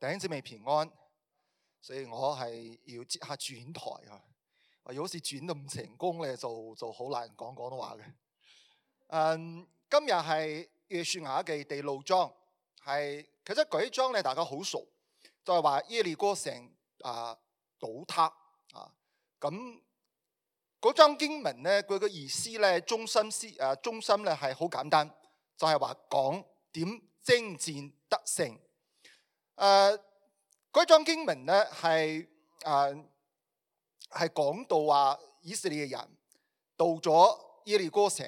弟兄姊妹平安，所以我係要即刻轉台啊！如果是轉得唔成功咧，就好難講廣東話嘅。今日係約書亞記第6章，其實嗰一章咧大家好熟，就係話耶利哥城倒塌啊。咁嗰章經文咧，佢嘅意思咧，中心咧係好簡單，就係話講點征戰得勝。嗰章經文咧係講到話以色列人到咗耶利哥城，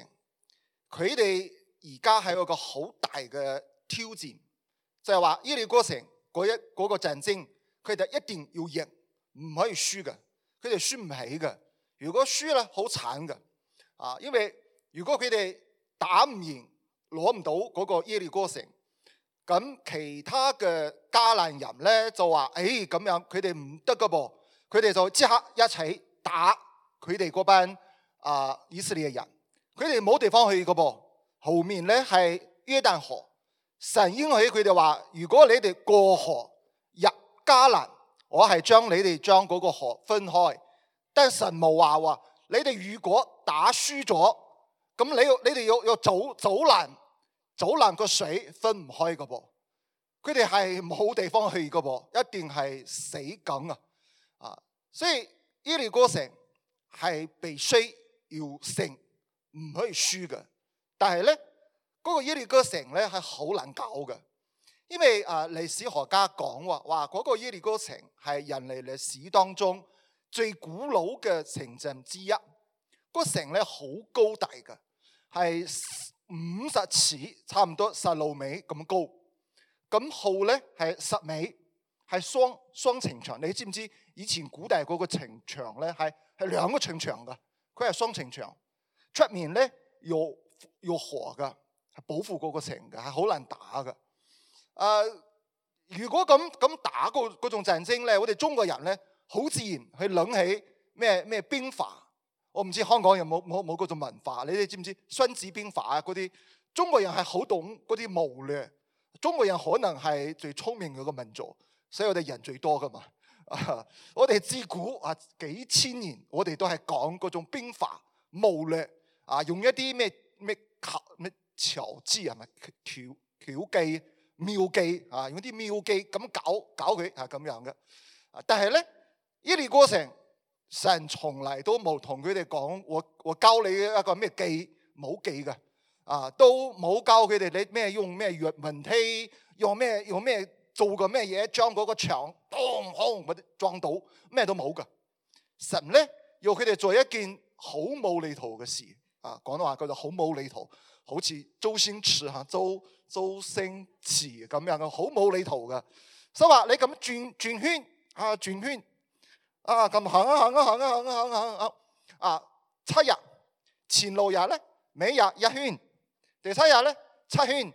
佢哋而家係有個好大嘅挑戰，就係話耶利哥城嗰個戰爭，佢哋一定要贏，唔可以輸嘅，佢哋輸唔起嘅。如果輸咧，好慘嘅因為如果佢哋打唔贏，攞唔到嗰個耶利哥城，咁其他嘅迦南人咧就話：咁樣佢哋唔得噶噃，佢哋就即刻一齊打佢哋嗰班以色列人，佢哋冇地方去噶噃。後面咧係約旦河，神應許佢哋話：如果你哋過河入迦南，我係將你哋將嗰個河分開。但係神冇話你哋如果打輸咗，咁你哋要走難個水分唔開噶噃，佢哋係冇地方去噶噃，一定係死梗所以耶利哥城係必須要勝，唔可以輸嘅。但係咧，嗰個耶利哥城咧係好難搞嘅，因為歷史學家講話嗰個耶利哥城係人類歷史當中最古老嘅城鎮之一。個城咧好高大嘅，係50尺，差唔多16米咁高。咁號咧係10米，係雙城牆。你知唔知以前古代嗰個城牆咧係2個城牆噶？佢係雙城牆，出面咧有河噶，係保護嗰個城嘅，係好難打嘅。如果咁打嗰種戰爭咧，我哋中國人咧好自然去諗起咩兵法。我唔知香港有冇嗰種文化，你哋知唔知《孫子兵法》嗰啲？中國人係好懂嗰啲謀略，中國人可能係最聰明嗰個民族，所以我哋人最多噶嘛。我哋自古幾千年，我哋都係講嗰種兵法謀略用一啲咩巧技係咪巧技妙技用啲妙技咁搞佢咁樣嘅。但係咧，耶利哥城，神從來都冇同佢哋講，我教你一個咩技，冇技嘅都冇教佢哋你咩用咩越文梯，用咩做個咩嘢，將嗰個牆轟或者撞到，咩都冇噶。神咧要佢哋做一件好無厘頭嘅事廣東話叫做好無厘頭，好似周星馳咁樣嘅，好無厘頭嘅。所以話你咁轉圈轉圈咁行7日，前6日咧每日1圈，第7日咧7圈，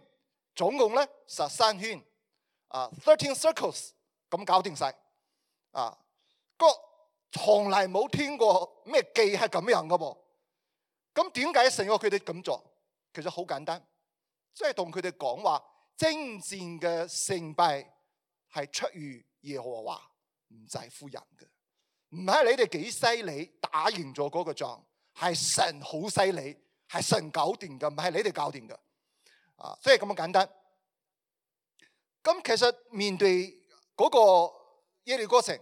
總共咧13圈13 circles 咁搞掂晒從來冇聽過咩技係咁樣噶噃。咁點解神要佢哋咁做？其實好簡單，即係同佢哋講話，征戰嘅勝敗係出於耶和華，唔在乎人嘅。唔係你哋幾犀利打贏咗嗰個仗，係神好犀利，係神搞掂嘅，唔係你哋搞掂嘅即係咁簡單。咁其實面對嗰個耶利哥城，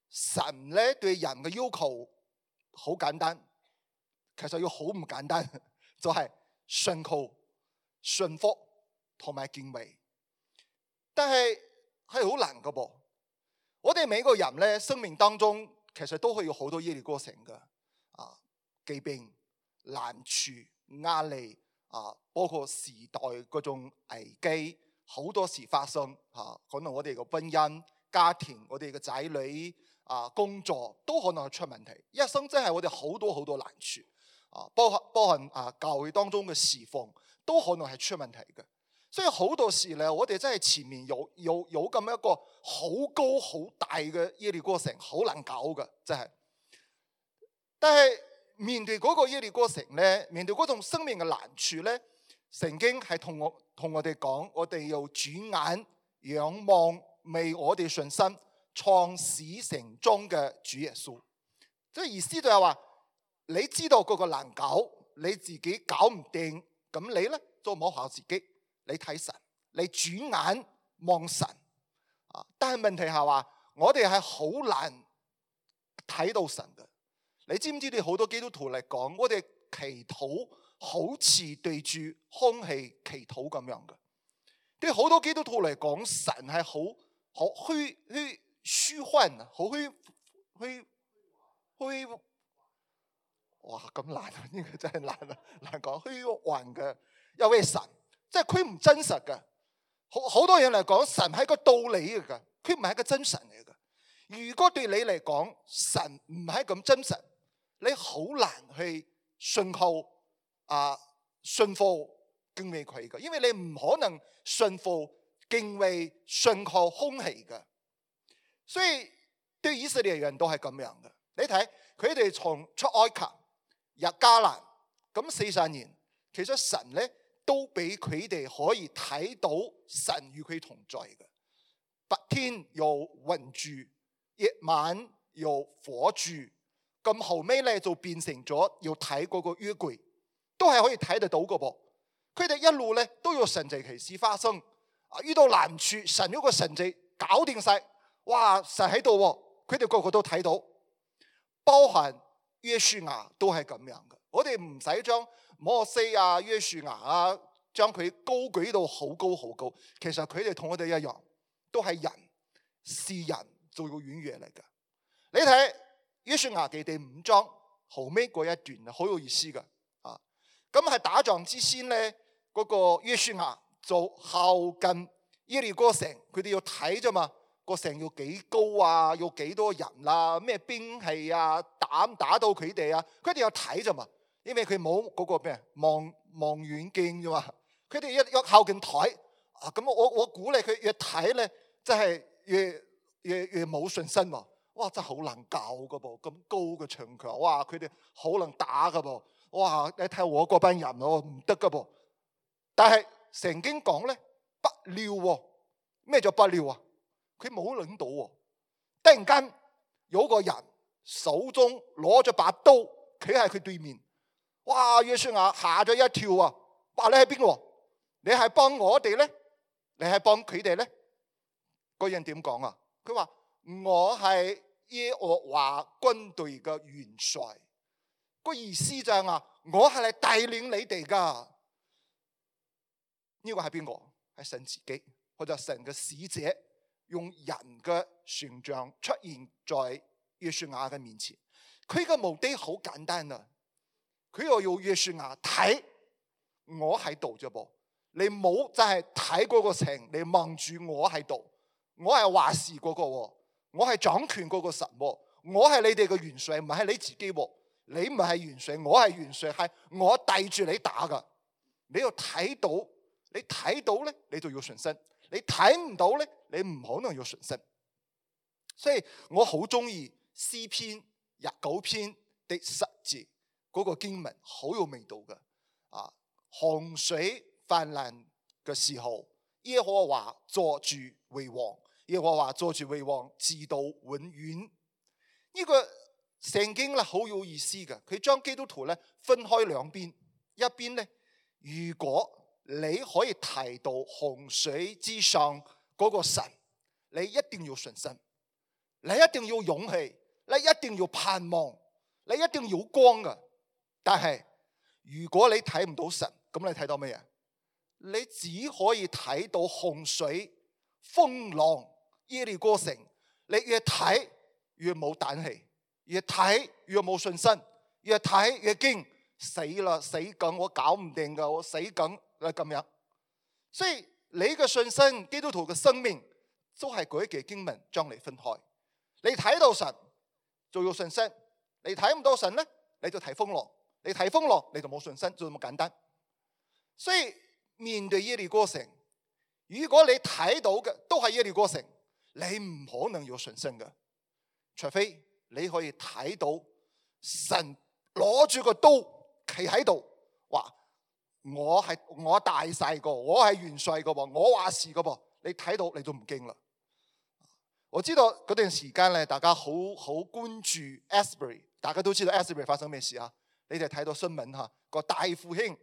神咧對人嘅要求好簡單，其實要好唔簡單，就係信靠、信服同埋敬畏。但係好難噶噃。我哋每個人咧，生命當中其實都會有好多耶利哥城嘅疾病、難處、壓力包括時代嗰種危機，好多時發生可能我哋嘅婚姻、家庭、我哋嘅仔女工作都可能係出問題。一生真係我哋好多難處包含教會當中嘅侍奉都可能係出問題嘅。所以好多時咧，我哋真係前面有咁一個好高好大嘅耶利哥城，好難搞嘅，真係。但係面對嗰個耶利哥城咧，面對嗰種生命嘅難處咧，聖經係同我哋講，我哋要轉眼仰望為我哋信心創始成終嘅主耶穌。即係意思就係話，你知道嗰個難搞，你自己搞唔掂，咁你咧就唔好靠自己，你睇神，你轉眼望神。但係問題係話，我哋係好難睇到神嘅。你知唔知道好多基督徒嚟講，我哋祈禱好似對住空氣祈禱咁樣嘅。對好多基督徒嚟講，神係好虛幻，好虛，哇咁難啊！呢個真係難講，虛幻嘅一位神，即係佢唔真實嘅。好多人嚟講，神係個道理嚟嘅，佢唔係一個真神嚟嘅。如果對你嚟講，神唔係咁真實，你好難去信服敬畏佢嘅，因為你唔可能信服敬畏信靠空氣嘅。所以對以色列人都係咁樣嘅。你睇佢哋從出埃及入迦南咁40年，其實神咧都俾佢哋可以睇到神與佢同在嘅。白天有雲柱，夜晚有火柱，咁後尾咧就變成咗要睇嗰個約櫃，都係可以睇得到嘅噃。佢哋一路咧都有神蹟奇事發生，遇到難處，神有個神蹟搞掂晒，哇！神喺度，佢哋個個都睇到，包含約書亞都係咁樣嘅。我哋唔使將摩西啊、約書亞啊，將佢高舉到好高好高。其實佢哋同我哋一樣，都係人，是人就要軟弱嚟嘅。你睇約書亞記第5章後尾嗰一段好有意思嘅。咁係打仗之先咧，嗰個約書亞就靠近耶利哥城，佢哋要睇啫嘛，個城要幾高啊，要幾多人啊，咩兵器啊，打到佢哋啊，佢哋要睇啫嘛，因為佢冇嗰個咩望遠鏡啫嘛，佢哋一靠近睇，咁我估咧佢越睇咧，真係越冇信心喎。哇！真係好難搞噶噃，咁高嘅牆牆，哇！佢哋好難打噶噃。哇！你睇我嗰班人唔得噶噃。但係聖經講咧，不料喎，咩叫不料啊？佢冇諗到喎，突然間有個人手中攞咗把刀，企喺佢對面。哇！約書亞嚇咗一跳啊！話你係邊個？你係幫我哋咧？你係幫佢哋咧？嗰人點講啊？佢話我係耶和華軍隊嘅元帥。個意思就係話，我係嚟帶領你哋噶。呢個係邊個？係神自己，或者神嘅使者，用人嘅形象出現在約書亞嘅面前。佢嘅目的好簡單啊，佢又要約書亞睇我喺度啫噃，你冇就係睇嗰個城，你望住我喺度，我係話事嗰個，我係掌權嗰個神，我係你哋嘅元帥，唔係你自己。你唔係元帥，我係元帥，係我帶住你打噶。你要睇到，你睇到咧，你就要信心；你睇唔到咧，你唔可能要信心。所以我好中意詩篇29篇第10節嗰個經文，好有味道嘅。洪水泛濫嘅時候，耶和華坐住為王，耶和華坐住為王，直到永遠。呢個聖經咧好有意思嘅，佢將基督徒咧分開兩邊，一邊咧，如果你可以提到洪水之上嗰個神，你一定要信心，你一定要勇氣，你一定要盼望，你一定要光嘅。但係如果你睇唔到神，咁你睇到咩嘢？你只可以睇到洪水、風浪、耶利哥城，你越睇越冇膽氣。越睇越冇信心，越睇越驚，死啦死梗，我搞唔掂噶，我死梗啦咁樣。所以你嘅信心，基督徒嘅生命，都係嗰一句經文將你分開。你睇到神就要信心，你睇唔到神咧，你就睇風浪，你睇風浪你就冇信心，就咁簡單。所以面對耶利哥城，如果你睇到嘅都係耶利哥城，你唔可能有信心嘅，除非你可以睇到神攞住個刀企喺度，話我大細個，我係元帥個噃，我話事個噃。你睇到你都唔驚啦。我知道嗰段時間咧，大家好關注 Asbury， 大家都知道 Asbury 發生咩事啊？你哋睇到新聞嚇，個大復興。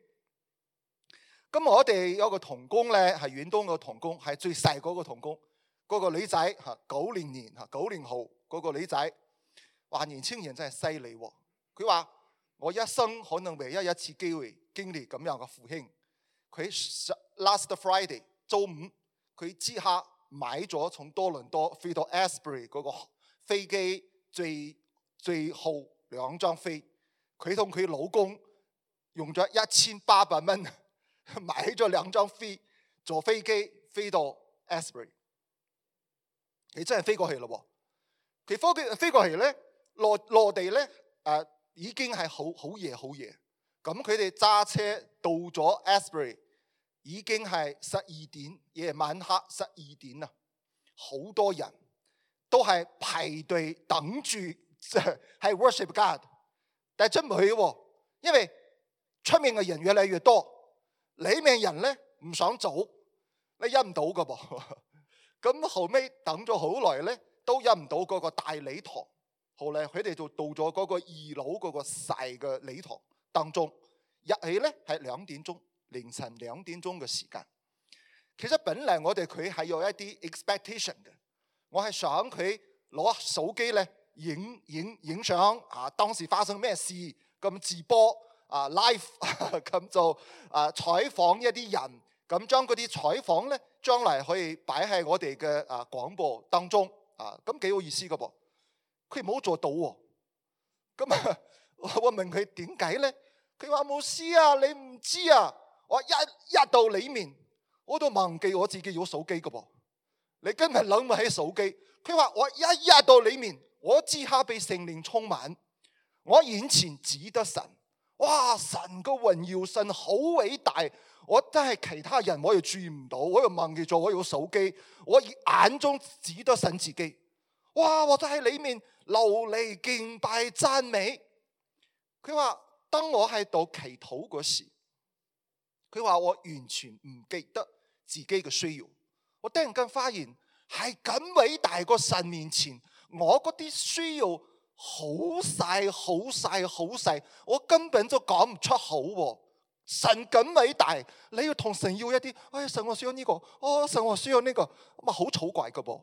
咁我哋有個同工咧，係遠東個同工，係最細嗰個同工，嗰個女仔嚇90年嚇90年後嗰個女仔，哇！年青人真係犀利喎。佢話：我一生可能唯一一次機會經歷咁樣嘅復興。佢 last Friday 周五，佢即刻買咗從多倫多飛到 Asbury 嗰個飛機最後2張飛。佢同佢老公用咗1800蚊買咗2張飛，坐飛機飛到 Asbury。佢真係飛過去咯喎！佢飛過去咧，落地咧已經係好夜。咁佢哋揸車到咗 Asbury， 已經係12點，夜晚黑12點啊！好多人都係排隊等住係 worship God， 但係真唔去喎，因為出面嘅人越嚟越多，裏面人咧唔想走，你入唔到噶噃。咁後尾等咗好耐咧，都入唔到嗰個大禮堂。後嚟佢哋就到咗嗰個2樓嗰個細嘅禮堂當中，入去咧係2點鐘，凌晨2點鐘嘅時間。其實本嚟我哋佢係有一啲 expectation 嘅，我係想佢攞手機咧影相啊，當時發生咩事咁直播啊 live 咁就採訪一啲人，咁將嗰啲採訪咧將來可以擺喺我哋嘅廣播當中啊，咁幾有意思噶噃。佢冇做到喎，咁我問佢點解咧？佢話冇事啊，你唔知啊，我一到裏面我都忘記我自己有手機噶噃，你根本諗唔起手機。佢話我一到裏面，我即刻被聖靈充滿，我眼前只得神，哇！神個榮耀，神好偉大，我真係其他人我又注意唔到，我又忘記咗我有手機，我眼中只得神自己。哇！我就喺裏面流離敬拜讚美。佢話當我喺度祈禱嗰時，佢話我完全唔記得自己嘅需要。我突然間發現係咁偉大個神面前，我嗰啲需要好細，我根本就講唔出口。神咁偉大，你要同神要一啲，神我需要呢個，神我需要呢個，咁啊好草怪噶噃。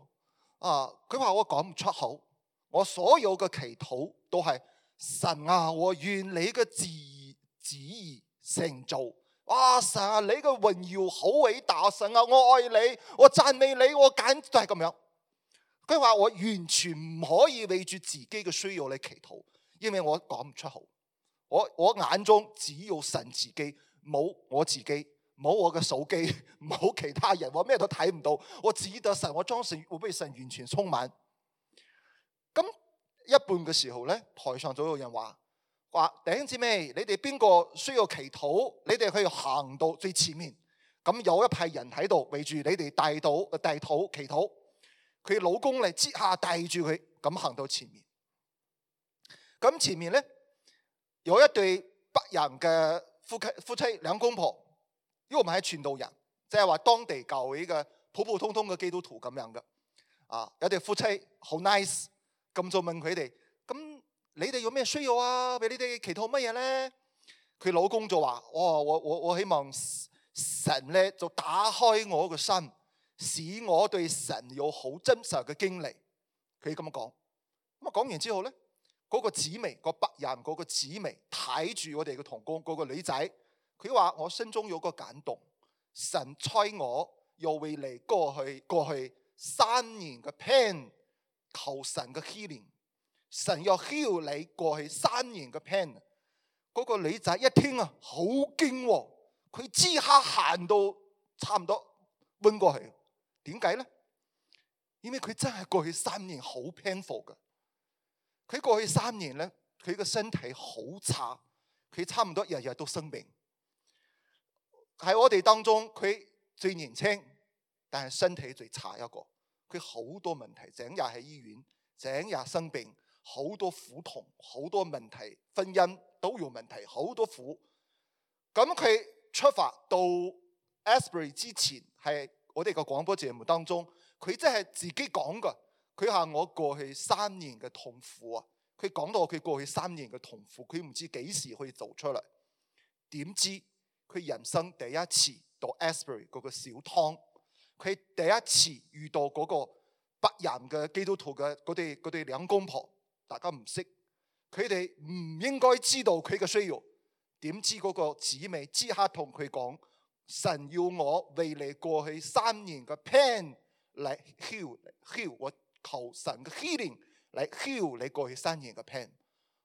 佢話我講唔出口，我所有嘅祈禱都係神啊，我願你嘅旨意成就。哇！神啊，你嘅榮耀好偉大，神啊，我愛你，我讚美你，我簡直係咁樣。佢話我完全唔可以為住自己嘅需要嚟祈禱，因為我講唔出口。我眼中只有神自己，冇我自己。冇我嘅手機，冇其他人，我咩都睇唔到，我只得神，我將神會被神完全充滿。咁一半嘅時候咧，台上就有人話弟兄姊妹，你哋邊個需要祈禱，你哋可以行到最前面。咁有一派人喺度圍住你哋帶禱祈禱。佢老公咧即刻帶住佢咁行到前面。咁前面咧有一對北人嘅夫妻兩公婆。因為我們係傳道人，即係話當地教會嘅普通嘅基督徒咁樣嘅。有對夫妻好 nice， 咁就問佢哋：咁你哋有咩需要啊？俾你哋祈禱乜嘢咧？佢老公就話：我希望神咧就打開我個心，使我對神有好真實嘅經歷。佢咁樣講。咁啊講完之後咧，嗰個姊妹，個北人嗰個姊妹睇住我哋嘅同工嗰個女仔。佢話我心中有個感動，神差我又為你過去3年嘅 pain 求神嘅 healing， 神又 heal 你過去3年嘅 pain。嗰個女仔一聽啊，好驚，佢即刻行到差唔多暈過去。點解咧？因為佢真係過去3年好 painful 嘅。佢過去3年咧，佢嘅身體好差，佢差唔多日日都生病。喺我哋當中，佢最年輕，但係身體最差一個。佢好多問題，整日喺醫院，整日生病，好多苦痛，好多問題，婚姻都有問題，好多苦。咁佢出發到 Asbury 之前，係我哋個廣播節目當中，佢真係自己講噶。佢話我過去3年嘅痛苦啊，佢講到佢過去3年嘅痛苦，佢唔知幾時可以做出嚟。點知佢人生第一次到 Asbury 嗰個小湯，佢第一次遇到嗰個白人嘅基督徒嘅嗰啲兩公婆，大家唔識，佢哋唔應該知道佢嘅需要。點知嗰個姊妹即刻同佢講，神要我為你過去3年嘅 pain 嚟 heal，我求神嘅 healing 嚟 heal 你過去3年嘅 pain。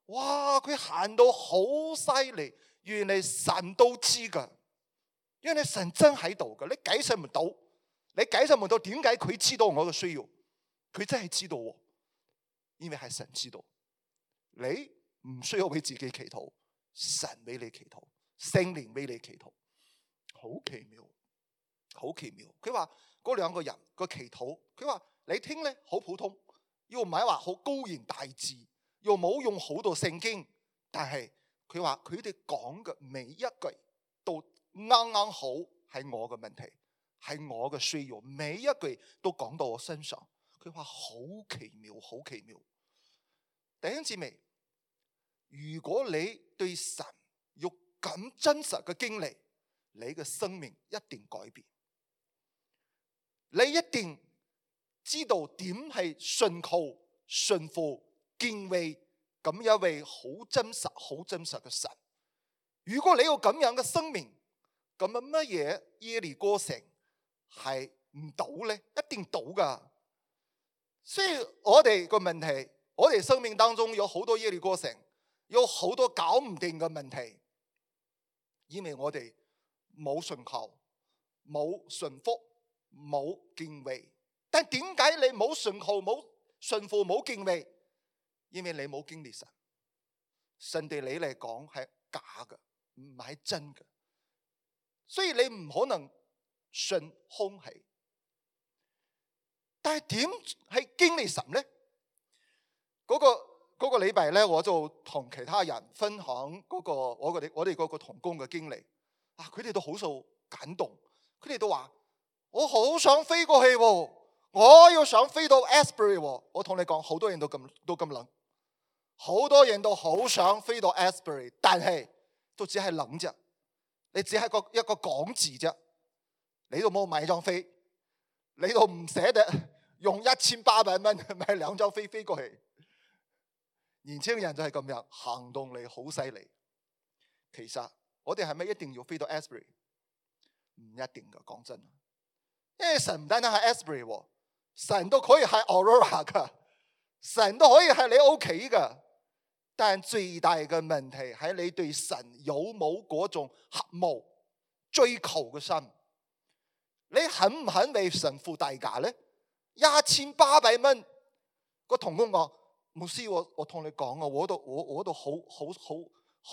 哇！佢行到好犀利，原來神都知噶，因為神真喺度噶，你解釋唔到，你解釋唔到點解佢知道我嘅需要，佢真係知道，因為係神知道。你唔需要為自己祈禱，神俾你祈禱，聖靈俾你祈禱，好奇妙，好奇妙。佢話嗰兩個人個祈禱，佢話你聽咧好普通，又唔係話好高言大智，又冇用好多聖經，但係佢話佢哋講嘅每一句都啱啱好係我嘅問題，係我嘅需要，每一句都講到我身上。佢話好奇妙，好奇妙。弟兄姊妹，如果你對神有咁真實嘅經歷，你嘅生命一定改變，你一定知道點係信靠、信服、敬畏咁一位好真實、好真實嘅神。如果你有咁樣嘅生命，咁啊乜嘢耶利哥城係唔倒呢？一定倒噶。所以我哋個問題，我哋生命當中有好多耶利哥城，有好多搞唔定嘅問題，因為我哋冇信靠、冇順服、冇敬畏。但點解你冇信靠、冇順服、冇敬畏？因為你冇經歷神，神對你嚟講係假嘅，唔係真嘅，所以你唔可能信空氣。但係點係經歷神呢？嗰個禮拜咧，我就同其他人分享我哋嗰個同工嘅經歷。佢哋都好受感動，佢哋都話：我好想飛過去喎，我要想飛到 Asbury 喎。我同你講，好多人都咁諗，好多人都好想飛到 Asbury， 但係都只係諗啫，你只係一個講字啫，你都冇買張飛，你都唔捨得用1800蚊買2張飛過去。年輕人就係咁樣，行動力好犀利。其實我哋係咪一定要飛到 Asbury？ 唔一定噶，講真。因為神唔單單係 Asbury， 神都可以係 Aurora 噶，神都可以係你屋企噶。但最大嘅問題係你對神有冇嗰種渴慕追求嘅心？你肯唔肯為神付代價呢？1800蚊，個同工講：牧師，我同你講啊，我都好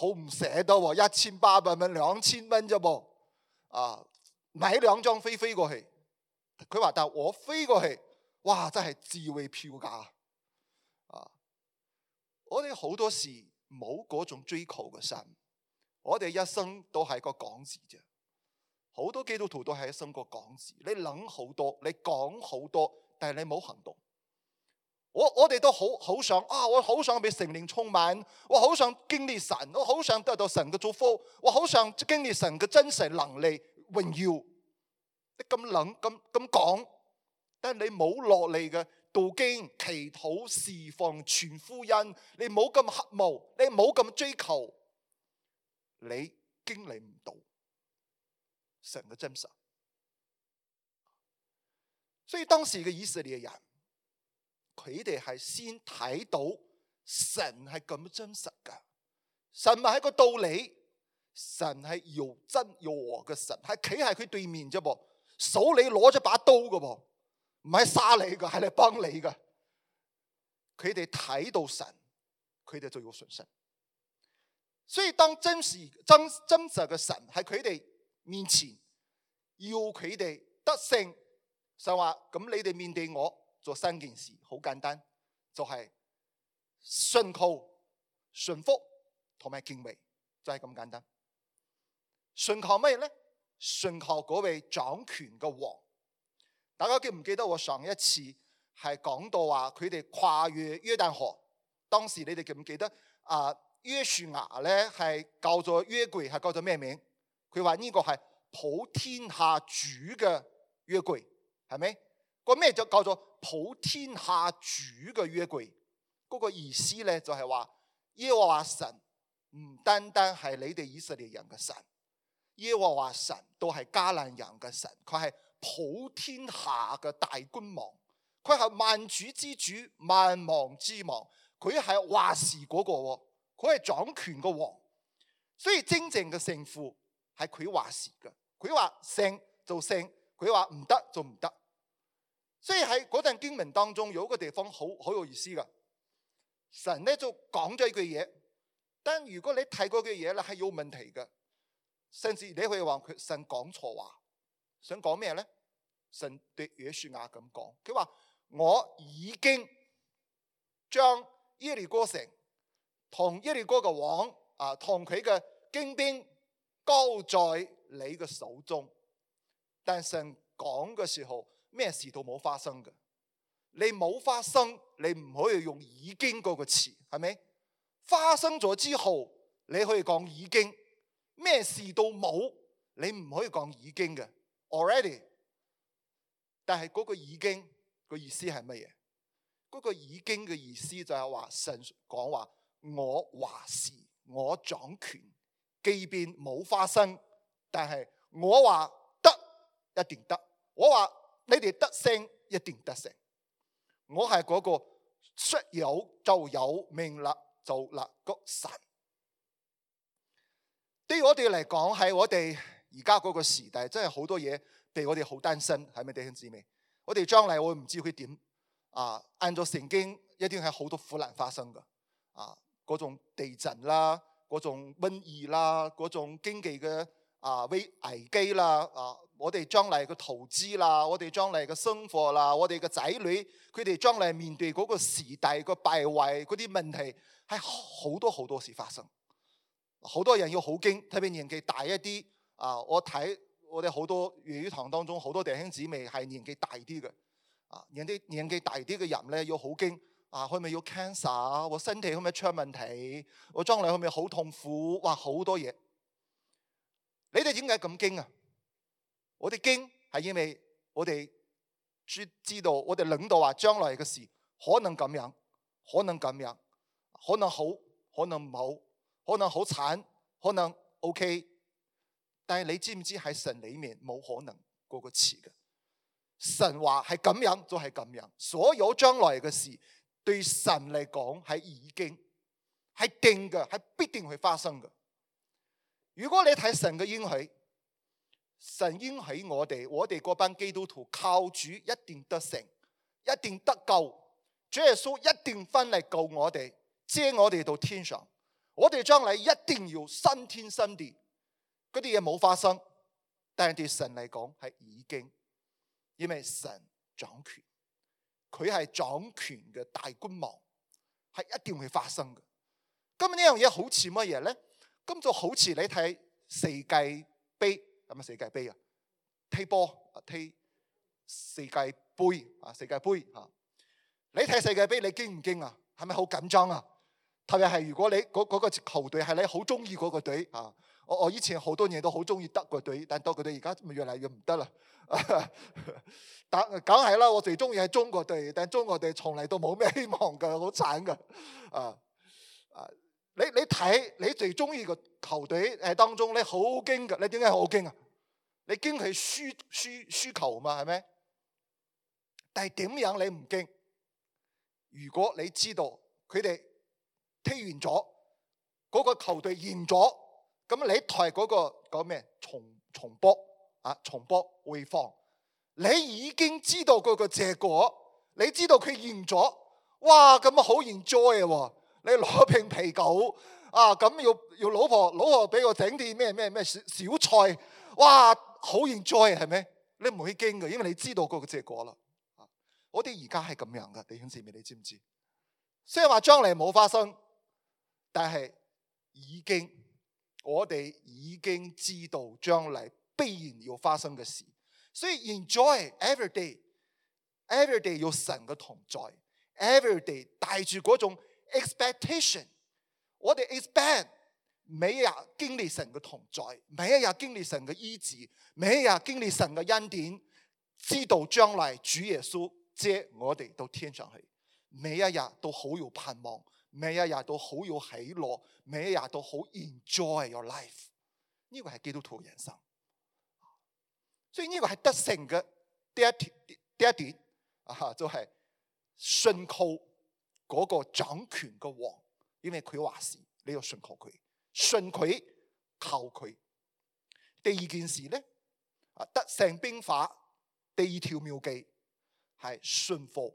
唔捨得喎，1800蚊2000蚊啫噃，買2張飛過去。佢話：但係我飛過去，哇，真係智慧票價。我哋好多時冇嗰種追求嘅心，我哋一生都係個講字啫。好多基督徒都係一生個講字，你諗好多，你講好多，但係你冇行動。我哋都好想我好想被聖靈充滿，我好想經歷神，我好想得到神嘅祝福，我好想經歷神嘅真實能力榮耀。你咁諗咁講，但係你冇落嚟嘅讀經、祈禱、侍奉、傳福音，你冇咁渴慕，你冇咁追求，你經歷唔到神嘅真實。所以當時嘅以色列人，佢哋係先睇到神係咁真實噶，神唔係個道理，神係又真又和嘅神，係企喺佢對面啫噃，手你攞咗把刀噶噃，唔係殺你噶，係嚟幫你噶。佢哋睇到神，佢哋就要信心。所以當真實嘅神喺佢哋面前，要佢哋得勝，就話咁你哋面對我做3件事，好簡單，就係信靠、順服同埋敬畏，就係咁簡單。信靠咩咧？信靠嗰位掌權嘅王。大家記唔記得我上一次係講到話佢哋跨越約旦河。當時你哋記唔記得約書亞咧係叫做約櫃，係叫做咩名？佢話呢個係普天下主嘅約櫃，係咪？個咩就叫做普天下主嘅約櫃？嗰個意思咧就係話耶和華神唔單單係你哋以色列人嘅神，耶和華神都係迦南人嘅神，佢係普天下嘅大君王，佢係萬主之主，萬王之王，佢係話事嗰個，佢係掌權嘅王，所以真正嘅勝負係佢話事嘅，佢話勝就勝，佢話唔得就唔得。所以喺嗰段經文當中有一個地方好有意思嘅，神咧就講咗一句嘢，但如果你睇嗰句嘢咧係有問題嘅，甚至你可以話佢神講錯話，想講咩咧？神對約書亞咁講，佢話我已經將耶利哥城同耶利哥嘅王同佢嘅精兵交在你嘅手中。但神講嘅時候咩事都冇發生嘅，你冇發生，你唔可以用已經嗰個詞，係咪？發生咗之後你可以講已經，咩事都冇，你唔可以講已經嘅 already。 但係嗰個已經個意思係乜嘢？嗰個已經嘅意思就係話神講話我話事，我掌權，即便冇發生，但係我話得一定得，我話你哋得勝一定得勝。我係嗰個說有就有，命立就立個神。對於我哋嚟講，喺我哋而家嗰個時代，真係好多嘢俾我哋好擔心，係咪弟兄姊妹？我哋將來我唔知佢點按照聖經一定係好多苦難發生嘅嗰種地震啦，嗰種瘟疫啦，嗰種經濟嘅危機啦我哋將來嘅投資啦，我哋將來嘅生活啦，我哋嘅仔女佢哋將來面對嗰個時代嘅敗壞嗰啲問題，係好多好多事發生。好多人要好驚，特別年紀大一啲我睇我哋好多粵語堂當中好多弟兄姊妹係年紀大啲嘅年紀大啲嘅人咧要好驚可唔可以要 cancer， 我身體可唔可以出問題，我將來可唔可以好痛苦，哇好多嘢。你哋點解咁驚啊？我哋驚係因為我哋知道我哋領導話將來嘅事可能咁樣，可能咁樣，可能好，可能唔好，可能好慘，可能 OK。但係你知唔知喺神裏面冇可能嗰個詞嘅？神話係咁樣就係咁樣，所有將來嘅事對神嚟講係已經係定嘅，係必定會發生嘅。如果你睇神嘅應許，神應許我哋嗰班基督徒靠主一定得勝，一定得救，主耶穌一定翻嚟救我哋，接我哋到天上，我哋將來一定要新天新地。嗰啲嘢冇發生，但係對神嚟講係已經，因為神掌權，佢係掌權嘅大君王，係一定會發生嘅。咁呢樣嘢好似乜嘢咧？咁就好似你睇世界盃，係咪世界盃啊？踢波踢世界盃世界盃你睇世界盃你驚唔驚啊？係咪好緊張啊？特別係如果你嗰個球隊係你好中意嗰個隊我以前好多年都好中意德國隊，但德國隊而家越嚟越唔得啦。梗係啦，我最中意係中國隊，但中國隊從嚟都冇咩希望㗎，好慘㗎。你睇你最中意個球隊當中，你好驚㗎，你點解好驚啊？你驚佢輸球嘛，係咪？但係點樣你唔驚？如果你知道佢哋踢完咗，嗰個球隊贏咗，咁你睇嗰個講咩？重播回放，你已經知道嗰個結果，你知道佢贏咗，哇咁好 enjoy 喎！你攞瓶啤酒咁要老婆俾我整啲咩小菜，哇好 enjoy 係咪？你唔會驚嘅，因為你知道嗰個結果啦。我哋而家係咁樣噶，弟兄姊妹，你知唔知？雖然話將來冇發生，但係我哋已經知道將來必然要發生嘅事，所以 enjoy every day。everyday 有神嘅同在 ，everyday 帶住嗰種 expectation， 我哋 expect 每一日經歷神嘅同在，每一日經歷神嘅醫治，每一日經歷神嘅恩典，知道將來主耶穌接我哋到天上去，每一日都好有盼望，每一日都好有喜樂，每一日都好 enjoy your life。呢個係基督徒人生，所以呢個係得勝嘅第一點就係信靠嗰個掌權嘅王，因為佢話事，你要信靠佢，信佢靠佢。第二件事咧，得勝兵法第二條妙計係信服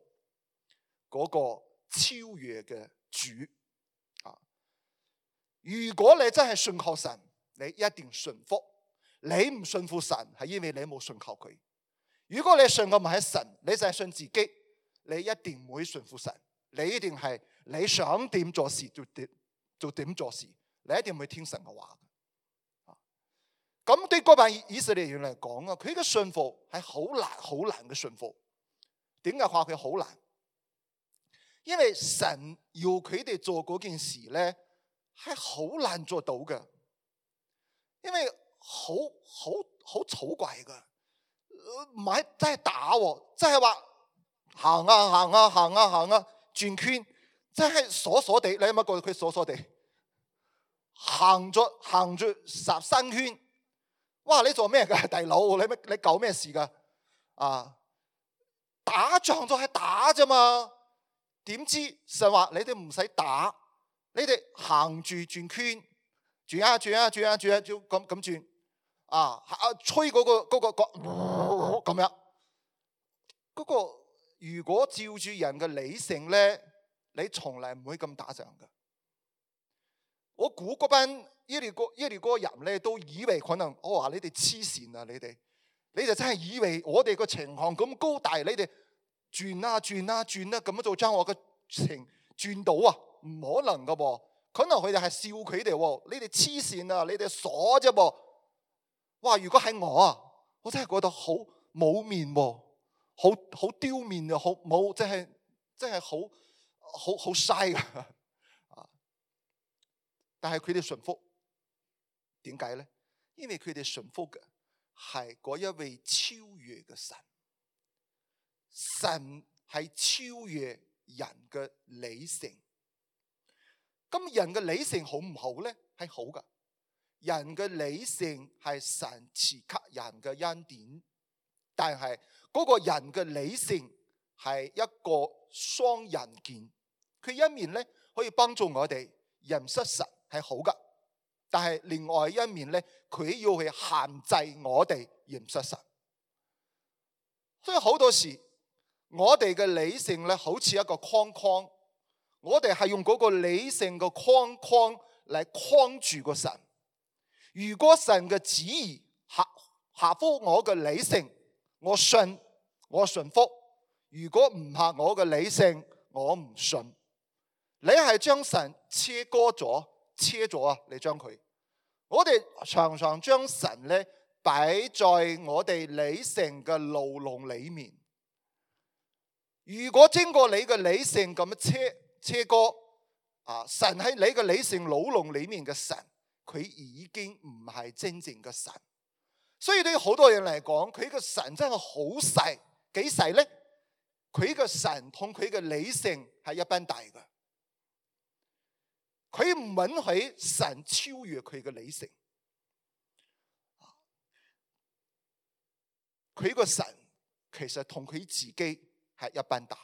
嗰個超越嘅主。如果你真係信靠神，你一定信服。你唔信服神，係因為你冇信靠佢。如果你信嘅唔係神，你就係信自己，你一定唔會信服神。你一定係你想點做事就點做事，你一定唔會聽神嘅話。咁對嗰班以色列人嚟講啊，佢嘅信服係好難嘅信服。點解話佢好難？因為神要佢哋做嗰件事咧，係好難做到嘅。因為好草怪噶，唔係真係打喎，即係話行啊轉圈，真係傻傻地。你有冇覺得佢傻傻地行住13圈？哇！你做咩噶，大佬？你搞咩事噶？打仗就係打啫嘛。點知神話你哋唔使打，你哋行住轉圈，轉啊咁轉。吹嗰個咁樣，嗰個如果照住人嘅理性咧，你從來唔會咁打仗嘅。我估嗰班耶利哥人咧都以為可能我話你哋黐線啊，你就真係以為我哋個城牆咁高大，你哋轉啊咁樣就將我個城轉到啊？唔可能噶噃，可能佢哋係笑佢哋，你哋黐線啊，你哋傻啫噃。哇！如果係我啊，我真係覺得好冇面喎，好丟面啊，好冇，真係好嘥噶。但係佢哋順服，點解咧？因為佢哋順服嘅係嗰一位超越嘅神，神係超越人嘅理性。咁人嘅理性好唔好咧？係好噶。人嘅理性係神賜給人嘅恩典，但係嗰個人嘅理性係一個雙刃劍。佢一面咧可以幫助我哋認識神係好噶，但係另外一面咧，佢要去限制我哋認識神。所以好多時我哋嘅理性咧好似一個框框，我哋係用嗰個理性嘅框框嚟框住個神。如果神嘅旨意合乎我嘅理性，我信服；如果唔合我嘅理性，我唔信。你係將神切咗啊！你將佢，我哋常常將神咧擺在我哋理性嘅牢籠裏面。如果經過你嘅理性咁樣切割神喺你嘅理性牢籠裏面嘅神，佢已經唔係真正嘅神。所以對好多人嚟講，佢嘅神真係好細。幾細咧？佢嘅神同佢嘅理性係一般大嘅。佢唔允許神超越佢嘅理性。佢個神其實同佢自己係一般大。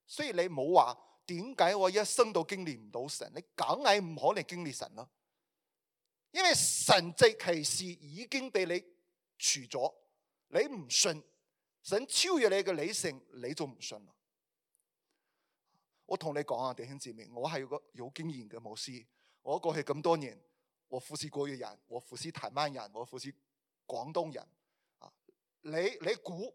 所以你冇話點解我一生都經歷唔到神？你梗係唔可能經歷神咯。因為神蹟奇事已經被你除咗，你唔信神超越你嘅理性，你就唔信啦。我同你講啊，弟兄姊妹，我係個有經驗嘅牧師。我過去咁多年，我服侍國語人，我服侍台灣人，我服侍廣東人。你估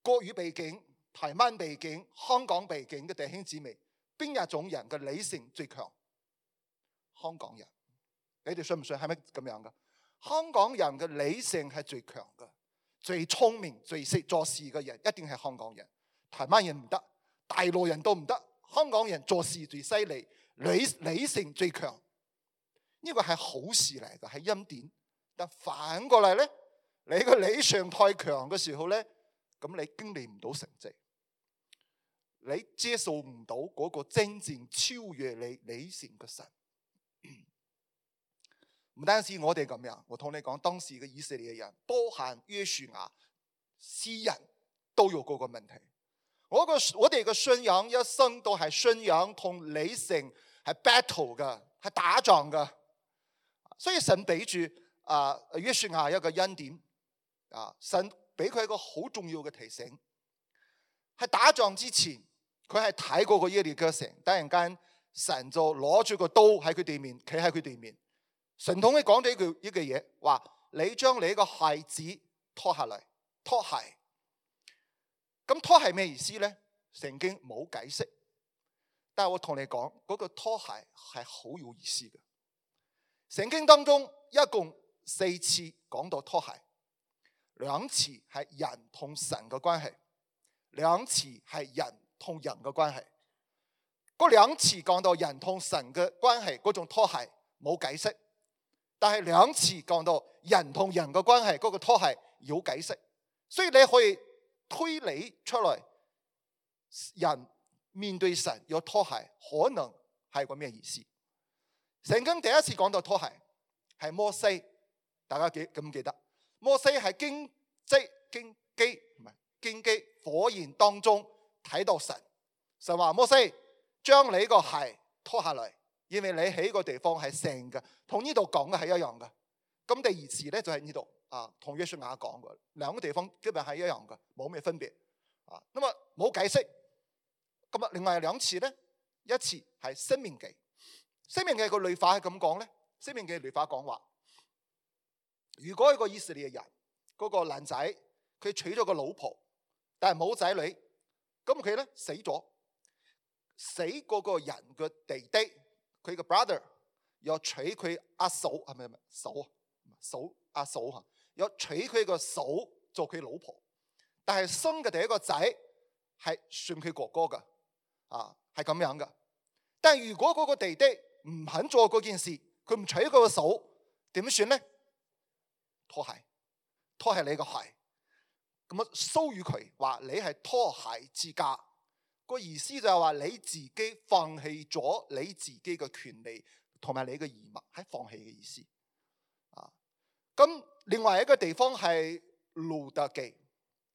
國語背景、台灣背景、香港背景嘅弟兄姊妹，邊一種人嘅理性最強？香港人。你哋信唔信係咪咁樣噶？香港人嘅理性係最強噶，最聰明、最識做事嘅人一定係香港人，台灣人唔得，大陸人都唔得，香港人做事最犀利，理性最強。呢個係好事嚟嘅，係恩典。但反過嚟咧，你個理性太強嘅時候咧，咁你經歷唔到成績，你接受唔到嗰個真正超越你理性嘅神。唔單止我哋咁樣，我同你講，當時嘅以色列人，包含約書亞詩人都有嗰個問題。我哋嘅信仰一生都係信仰同理性係 battle 嘅，係打仗嘅。所以神俾住約書亞一個恩典，神俾佢一個好重要嘅提醒。喺打仗之前，佢係睇過個耶利哥城，突然間神就攞住個刀喺佢對面，企喺佢對面。神同佢講咗一句嘢，話你將你個鞋子脱下嚟，脱鞋。咁拖鞋咩意思咧？聖經冇解釋，但係我同你講，嗰個拖鞋係好有意思嘅。聖經當中一共4次講到拖鞋，2次係人同神嘅關係，2次係人同人嘅關係。嗰2次講到人同神嘅關係，嗰種拖鞋冇解釋，但係2次講到人同人嘅關係，嗰個拖鞋有解釋。所以你可以推理出來，人面對神有拖鞋，可能係個咩意思？聖經第一次講到拖鞋係摩西，大家記唔記得？摩西係荊棘火焰當中睇到神，神話摩西將你個鞋拖下嚟，因為你喺個地方係聖嘅，同呢度講嘅係一樣嘅。咁第2次咧就喺呢度。同約書亞講嘅2個地方基本係一樣嘅，冇咩分別。咁啊冇解釋。咁啊，另外2次咧，一次係申命記。申命記個律法係咁講咧，申命記律法講話，如果一個以色列人嗰個男仔佢娶咗個老婆，但係冇仔女，咁佢咧死咗，死嗰個人嘅弟弟，佢嘅 brother 又娶佢阿嫂，係咪阿嫂嚇？有娶佢個嫂做佢老婆，但係生嘅第一個仔係算佢哥哥噶，係咁樣噶。但係如果嗰個弟弟唔肯做嗰件事，佢唔娶佢個嫂，點算咧？拖鞋你個鞋，咁啊騷擾佢，話你係拖鞋之家。個意思就係話你自己放棄咗你自己嘅權利同埋你嘅義務，係放棄嘅意思。咁另外一個地方係路得記，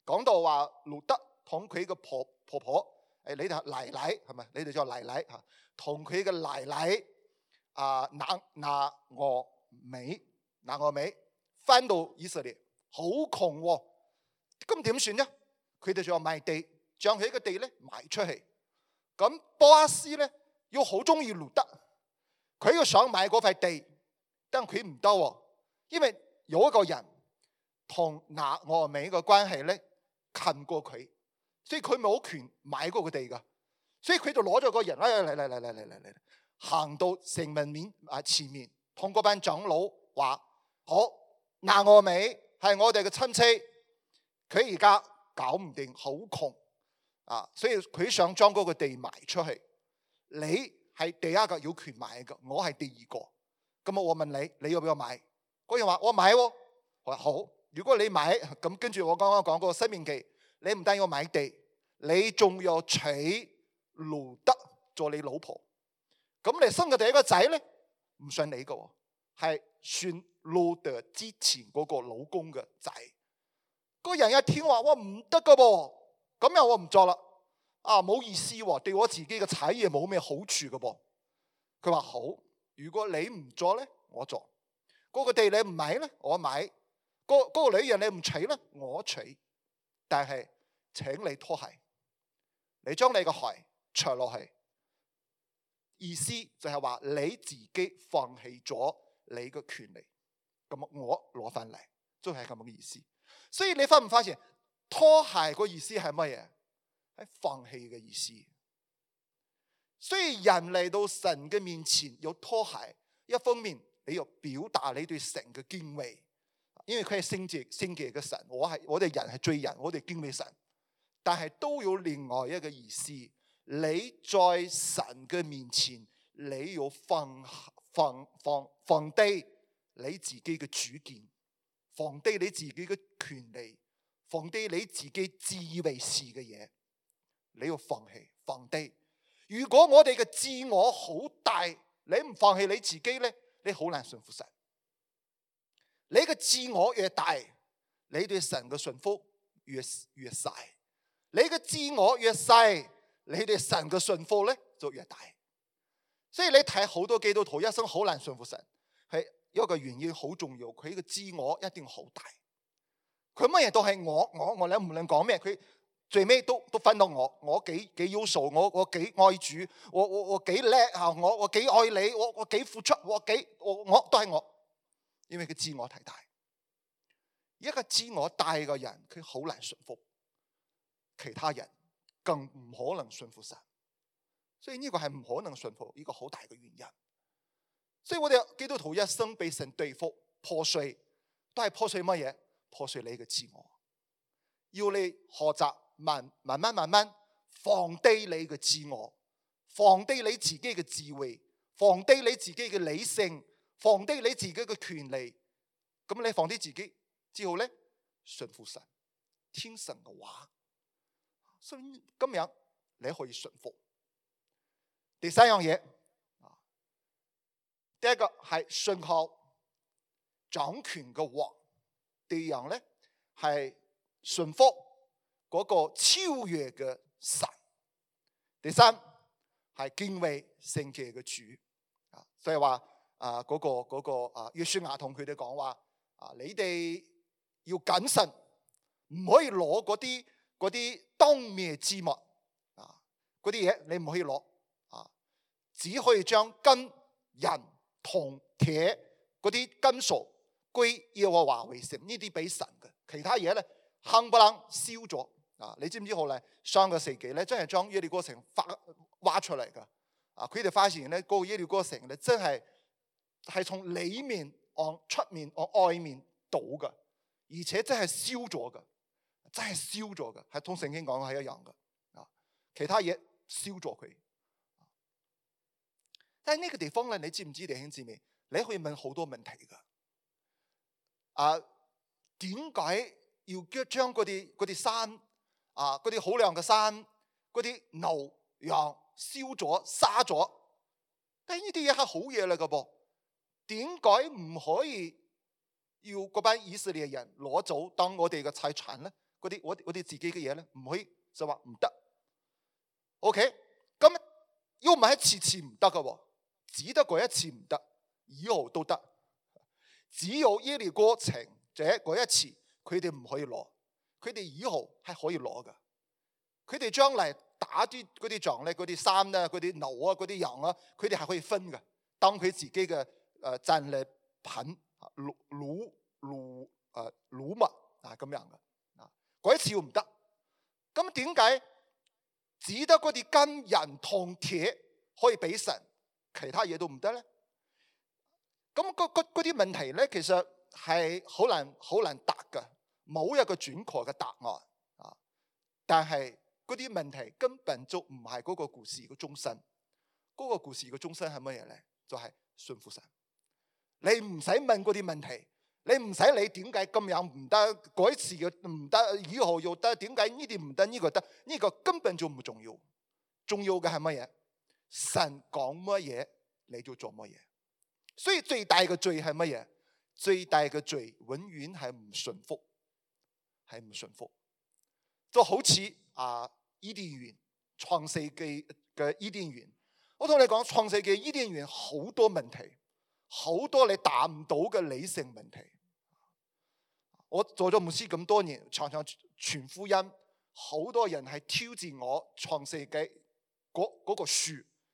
講到話路得同佢嘅婆婆，你哋奶奶係咪？你哋叫奶奶嚇，同佢嘅奶奶拿俄美翻到以色列，好窮喎。咁點算呢？佢哋就話賣地，將佢嘅地咧賣出去。咁波阿斯咧要好中意路得，佢要想買嗰塊地，但佢唔得喎，因為有一個人同拿俄美嘅關係咧近過佢，所以佢冇權買嗰個地噶，所以佢就攞咗個人嚟，行到城門面前面，同嗰班長老話：好，拿俄美係我哋嘅親戚，佢而家搞唔掂，好窮所以佢想將嗰個地賣出去。你係第一個有權買嘅，我係第2個。咁我問你，你要唔要買？嗰人話我買喎，我話好。如果你買，咁跟住我剛剛講嗰個申命記，你唔單要買地，你仲要娶路得做你老婆。咁你生嘅第一個仔咧，唔算你嘅，係算路得之前嗰個老公嘅仔。嗰人一聽話，我唔得嘅噃，咁樣我唔做啦。冇意思喎，對我自己嘅產業冇咩好處嘅噃。佢話好，如果你唔做咧，我做。嗰個地你唔買咧，我買。嗰個女人你唔娶咧，我娶。但係請你拖鞋，你將你個鞋除落去，意思就係話你自己放棄咗你嘅權利，咁我攞翻嚟，都係咁嘅意思。所以你發唔發現拖鞋個意思係乜嘢？係放棄嘅意思。所以人嚟到神嘅面前有拖鞋，一方面你要表達你對神嘅敬畏，因為佢係聖潔嘅神，我哋人係罪人，我哋敬畏神，但係都有另外一個意思。你在神嘅面前，你要放低你自己嘅主見，放低你自己嘅權利，放低你自己自以為是嘅嘢，你要放棄放低。如果我哋嘅自我好大，你唔放棄你自己咧，你好難順服神。你嘅自我越大，你對神嘅順服越細；你嘅自我越細，你對神嘅順服咧就越大。所以你睇好多基督徒一生好難順服神，係有一個原因好重要，佢嘅自我一定好大。佢乜嘢都係我，你無論講咩，佢最尾都分到我幾優秀，我幾愛主，我幾叻啊，我幾愛你，我幾付出，我都係我。因為佢自我太大，一個自我大嘅人，佢好難順服其他人，更唔可能順服神。所以呢個係唔可能順服，呢個好大嘅原因。所以我哋基督徒一生被神對付破碎，都係破碎乜嘢？破碎你嘅自我，要你學習慢慢放低你嘅自我，放低你自己嘅智慧，放低你自己嘅理性，放低你自己嘅權利。咁你放低自己之後咧，順服神，聽神嘅話。所以今日你可以順服。第三樣嘢，第一個係信靠掌權嘅王，第二樣咧係順服嗰個超越嘅神，第三係敬畏聖潔嘅主。所以話嗰個約書亞同佢哋講話，你哋要謹慎，唔可以攞嗰啲當滅之物嗰啲嘢，你唔可以攞。只可以將金銀銅鐵嗰啲金屬歸耶和華為聖，呢啲俾神嘅。其他嘢咧冚唪唥燒咗。你知唔知後嚟上個世紀咧，真係將耶利哥城挖出嚟噶。佢哋發現咧，嗰個耶利哥城咧真係從裏面往出面往外面倒噶，而且真係燒咗噶，真係燒咗噶，係同聖經講嘅係一樣噶。其他嘢燒咗佢。但係呢個地方咧，你知唔知弟兄姊妹？你可以問好多問題噶。點解要將嗰啲山嗰啲好靚嘅山，嗰啲牛羊燒咗殺咗？但係呢啲嘢係好嘢嚟噶噃，點解唔可以要嗰班以色列人攞走當我哋嘅財產咧？嗰啲我哋自己嘅嘢咧，唔可以就話唔得。OK， 咁要唔係次次唔得噶喎？只得嗰一次唔得，以後都得。只有耶利哥城嗰一次，佢哋唔可以攞，佢哋以後係可以攞噶。佢哋將嚟打嗰啲仗咧，嗰啲山啊，嗰啲牛啊，嗰啲羊啊，佢哋係可以分噶，當佢自己嘅戰利品擄物咁樣噶。嗰一次要唔得，咁點解只得嗰啲金銀銅鐵可以俾神？其他嘢都唔得咧，咁嗰啲問題咧，其實係好難答噶，冇一個準確嘅答案。但係嗰啲問題根本就唔係嗰個故事嘅中心。嗰個故事嘅中心係乜嘢咧？就係信服神。你唔使問嗰啲問題，你唔使理點解咁樣唔得，嗰次嘅唔得，以後又得，點解呢啲唔得，呢個得？呢個根本就唔重要。重要嘅係乜嘢？神講乜嘢你就做乜嘢。所以最大嘅罪係乜嘢？最大嘅罪永遠係唔順服，係唔順服。就好似伊甸園創世記嘅伊甸園，我同你講創世記伊甸園好多問題，好多你答唔到嘅理性問題。我做咗牧師咁多年，常常傳福音，好多人係挑戰我創世記嗰個樹。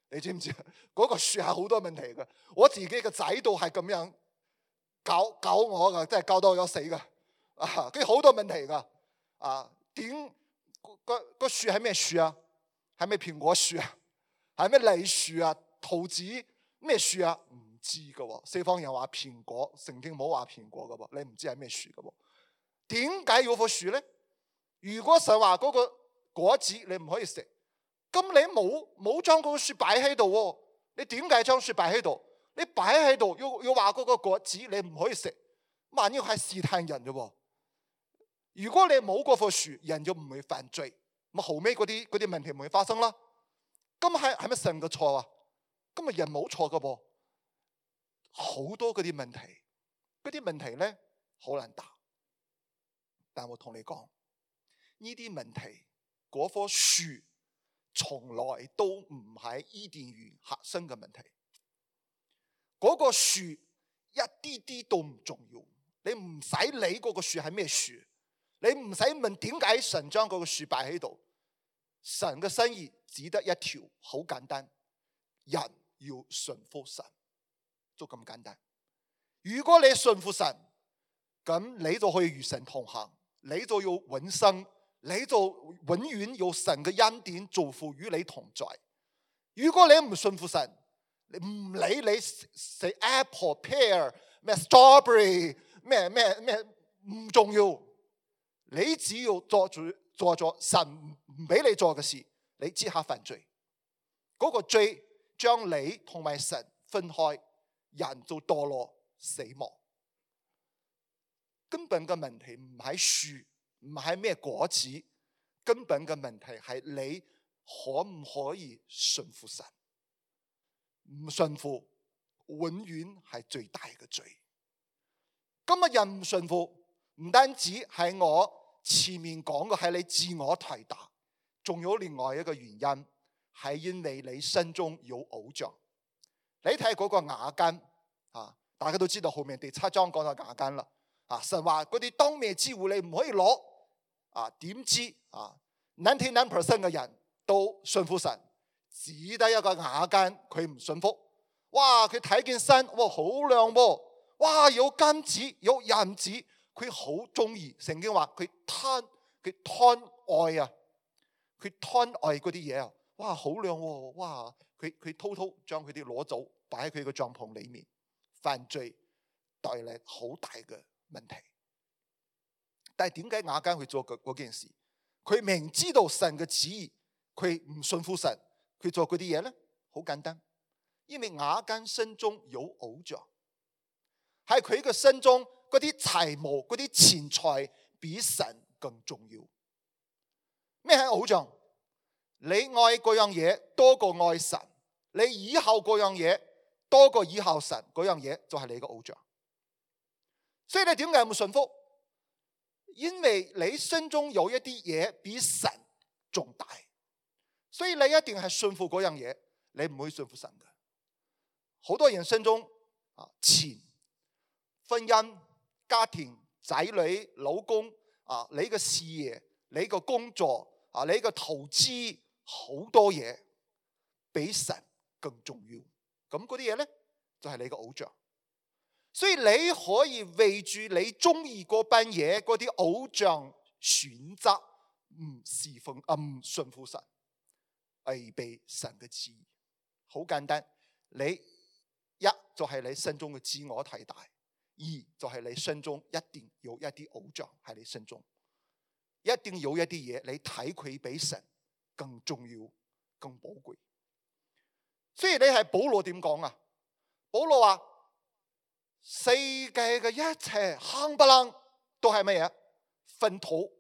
你知唔知嗰個樹係好多問題嘅。我自己嘅仔都係咁樣搞我噶，真係搞到我有死噶。佢好多問題噶。點個樹係咩樹啊？係咩蘋果樹啊？係咩梨樹啊？桃子咩樹啊？唔知㗎喎。西方人話蘋果，聖經冇話蘋果㗎喎，你唔知係咩樹㗎喎。點解要棵樹咧？如果神話嗰個果子你唔可以食，咁你冇將嗰個樹擺喺度喎，你點解將樹擺喺度？你擺喺度要話嗰個果子你唔可以食，萬一係試探人嘅喎。如果你冇嗰棵樹，人就唔會犯罪，咁後尾嗰啲問題唔會發生啦。咁係咪神嘅錯啊？咁啊人冇錯嘅噃，好多嗰啲問題咧好難答。但我同你講，呢啲問題嗰棵樹從來都唔係伊甸園核心嘅問題。嗰個樹一啲啲都唔重要，你唔使理嗰個樹係咩樹，你唔使問點解神將嗰個樹擺喺度。神嘅心意只得一條，好簡單，人要順服神，就咁簡單。如果你順服神，咁你就可以與神同行，你就要永生，你就永遠有神嘅恩典祝福與你同在。如果你唔順服神，你唔理你食 apple pear 咩 strawberry 咩唔重要，你只要做咗神唔俾你做嘅事，你即刻犯罪。嗰個罪將你同埋神分開，人就墮落死亡。根本嘅問題唔係樹，唔係咩果子，根本嘅問題係你可唔可以順服神？唔順服，永遠係最大嘅罪。今日人唔順服，唔單止係我前面講嘅係你自我抬大，仲有另外一個原因，係因為你心中有偶像。你睇嗰個雅斤啊，大家都知道後面第7章講到雅斤啦。啊，神話嗰啲當滅之物你唔可以攞。啊，點知啊 99% 嘅人都順服神，只得一個雅斤佢唔順服。哇，佢睇見山，哇好靚喎，哇有金子有銀子，佢好中意。聖經話佢貪愛啊，佢貪愛嗰啲嘢啊，哇好靚喎，哇佢偷偷將佢啲攞走，擺喺佢個帳篷裏面，犯罪帶嚟好大嘅問題。但係點解雅斤去做嗰件事？佢明知道神嘅旨意，佢唔信服神，佢做嗰啲嘢咧，好簡單，因為雅斤心中有偶像，喺佢嘅心中嗰啲財務、嗰啲錢財比神更重要。咩係偶像？你愛嗰樣嘢多過愛神，你倚靠嗰樣嘢多過倚靠神，嗰樣嘢就係你嘅偶像。所以你點解唔順服？因為你心中有一啲嘢比神重大，所以你一定係順服嗰樣嘢，你唔會順服神嘅。好多人心中錢、婚姻、家庭、仔女、老公你嘅事業、你嘅工作你嘅投資，好多嘢比神更重要。咁嗰啲嘢咧就係你嘅偶像。所以你可以為住你中意嗰班嘢，嗰啲偶像選擇唔侍奉唔順服神，違背神嘅旨意。好簡單，你一就係你心中嘅自我太大，二就係你心中一定有一啲偶像喺你心中，一定有一啲嘢你睇佢比神更重要、更寶貴。所以你係保羅點講啊？保羅話，世界嘅一切冚唪唥都係乜嘢？糞土，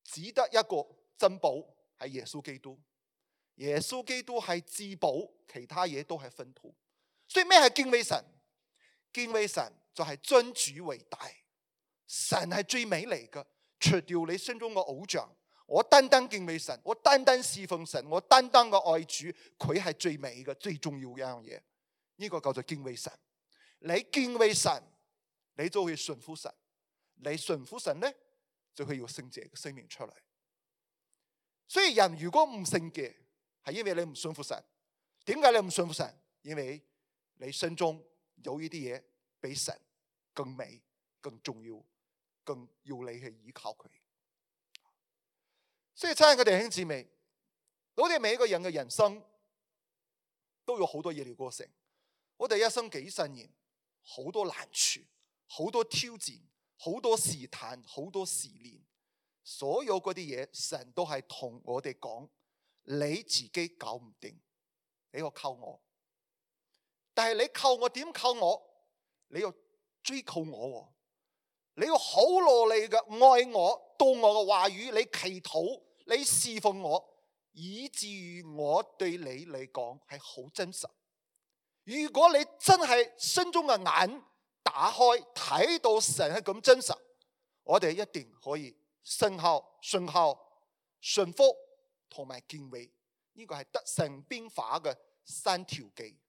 只得一個珍寶係耶穌基督。耶穌基督係至寶，其他嘢都係糞土。所以咩係敬畏神？敬畏神就係尊主為大。神係最美嚟嘅，除掉你心中嘅偶像，我單單敬畏神，我單單侍奉神，我單單嘅愛主，佢係最美嘅、最重要嘅一樣嘢。呢個叫做敬畏神。你敬畏神，你就會順服神。你順服神咧，就會有聖潔嘅生命出嚟。所以人如果唔聖潔，係因為你唔順服神。點解你唔順服神？因為你心中有呢啲嘢比神更美、更重要、更要你去依靠佢。所以親愛嘅弟兄姊妹，我哋每一個人嘅人生都有好多嘢嚟過成。我哋一生幾十年，好多難處，好多挑戰，好多試探，好多試煉。所有嗰啲嘢，神都係同我哋講：你自己搞唔掂，你要靠我。但係你靠我點靠我？你要追求我，你要好努力嘅愛我，到我嘅話語，你祈禱，你侍奉我，以至於我對你嚟講係好真實。如果你真係心中嘅眼打開，睇到神係咁真實，我哋一定可以信靠、順服同埋敬畏。呢個係得勝變化嘅3條記。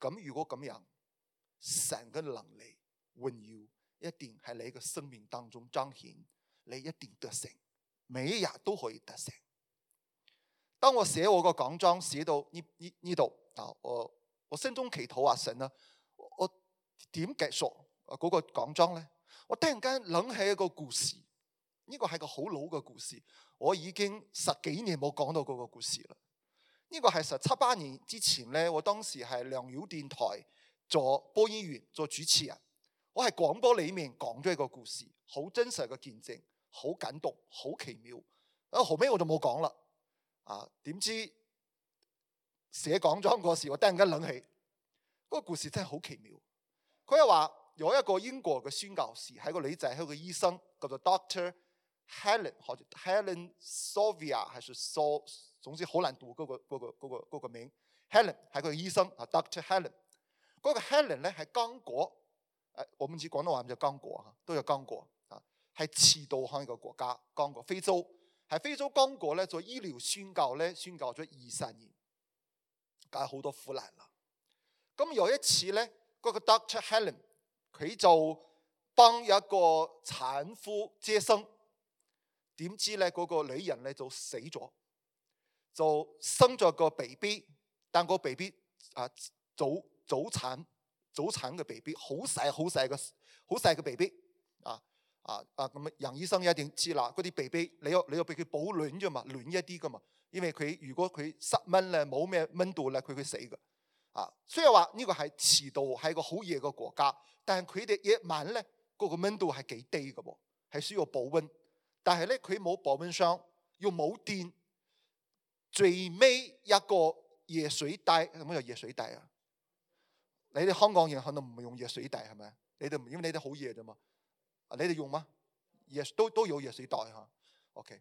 咁如果咁樣，神嘅能力榮耀一定喺你嘅生命當中彰顯，你一定得勝，每一日都可以得勝。當我寫我個講章寫到呢度啊，我心中祈禱神啊，我點結束嗰個講章咧？我突然間諗起一個故事，呢個係個好老嘅故事，我已經10幾年冇講到嗰個故事啦。呢個係17、18年之前咧，我當時係良友電台做播音員，做主持人。我喺廣播裏面講咗一個故事，好真實嘅見證，好感動，好奇妙。後尾我就冇講啦。點知寫講章嗰時，我突然間諗起嗰個故事真係好奇妙。佢係話有一個英國嘅宣教士，係個女仔，係個醫生，叫做 Dr. Helen， 或者 Helen Sylvia， 還是總之好難讀嗰個名。Helen 係個醫生，Dr. Helen。嗰個 Helen 咧係剛果，我唔知廣東話唔叫剛果嚇，都有剛果啊，係赤道喺一個國家，剛果非洲，喺非洲剛果咧做醫療宣教咧，宣教咗20年，梗係好多苦難啦。咁有一次咧，嗰個 Dr. Helen 佢就幫一個產婦接生，點知咧嗰個女人咧就死咗，就生咗個 BB， 但個 BB 早產嘅 BB， 好細嘅 BB 咁楊醫生一定知啦，嗰啲 BB 你要俾佢保暖啫嘛，暖一啲噶嘛，因為如果佢失溫咧，冇咩溫度咧，佢會死噶。雖然話呢個係赤道，係個好熱嘅國家，但係佢哋夜晚咧嗰個溫度係幾低嘅喎，係需要保溫。但係咧佢冇保溫箱，又冇電，最尾一個熱水袋，有冇有熱水袋啊？你哋香港人可能唔用熱水袋係咪？你哋因為你哋好熱啫嘛，你哋用嗎？都有熱水袋嚇。OK，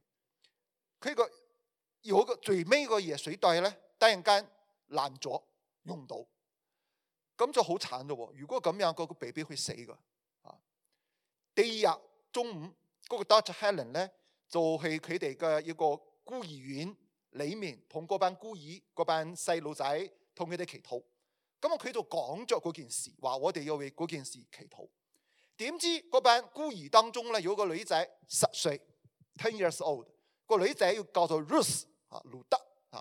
佢有個最尾個熱水袋咧，突然間爛咗，用唔到，咁就好慘啫喎。如果咁樣，個 BB 會死噶。第二日中午，嗰個 Dr. Helen 咧就去佢哋嘅一個孤兒院裏面，同嗰班孤兒、嗰班細路仔同佢哋祈禱。咁佢就講咗嗰件事，話我哋要為嗰件事祈禱。點知嗰班孤兒當中咧有個女仔10歲 ，10 years old， 個女仔要叫做 Ruth 路德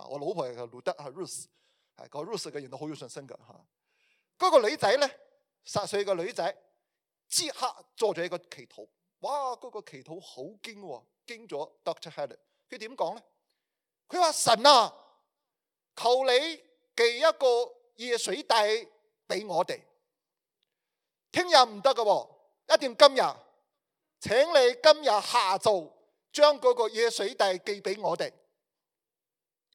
我老婆係叫路德Ruth， 係個 Ruth 嘅人都好有信心㗎嚇。嗰個女仔咧10歲嘅女仔，即刻做咗一個祈禱。哇！嗰個祈禱好驚喎，驚咗 Dr. Helen。佢點講咧？佢話神啊，求你寄一個熱水袋俾我哋，聽日唔得㗎喎，一定今日。請你今日下晝將嗰個熱水袋寄俾我哋。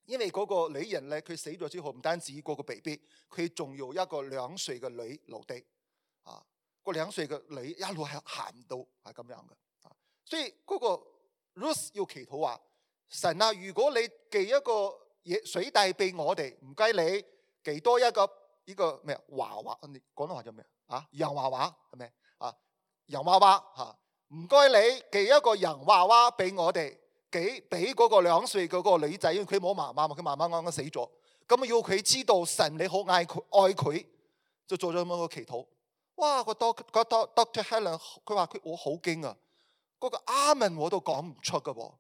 因為嗰個女人咧，佢死咗之後，唔單止嗰個 BB， 佢仲有一個2歲嘅女留低。個2歲嘅女一路係行唔到，係咁樣嘅。所以嗰個 Ruth 要祈禱話：神啊，如果你寄一個熱水袋俾我哋，唔該你寄多一個呢個咩娃娃？你廣東話叫咩洋娃娃係咪洋娃娃嚇？唔該你寄一個洋娃娃俾我哋，俾嗰個2歲嗰個女仔，因為佢冇媽媽嘛，佢媽媽啱啱死咗。咁要佢知道神你好愛佢，就做咗咁樣個祈禱。哇！個 Dr. Helen 佢話我好驚啊！嗰個阿門我都講唔出㗎喎。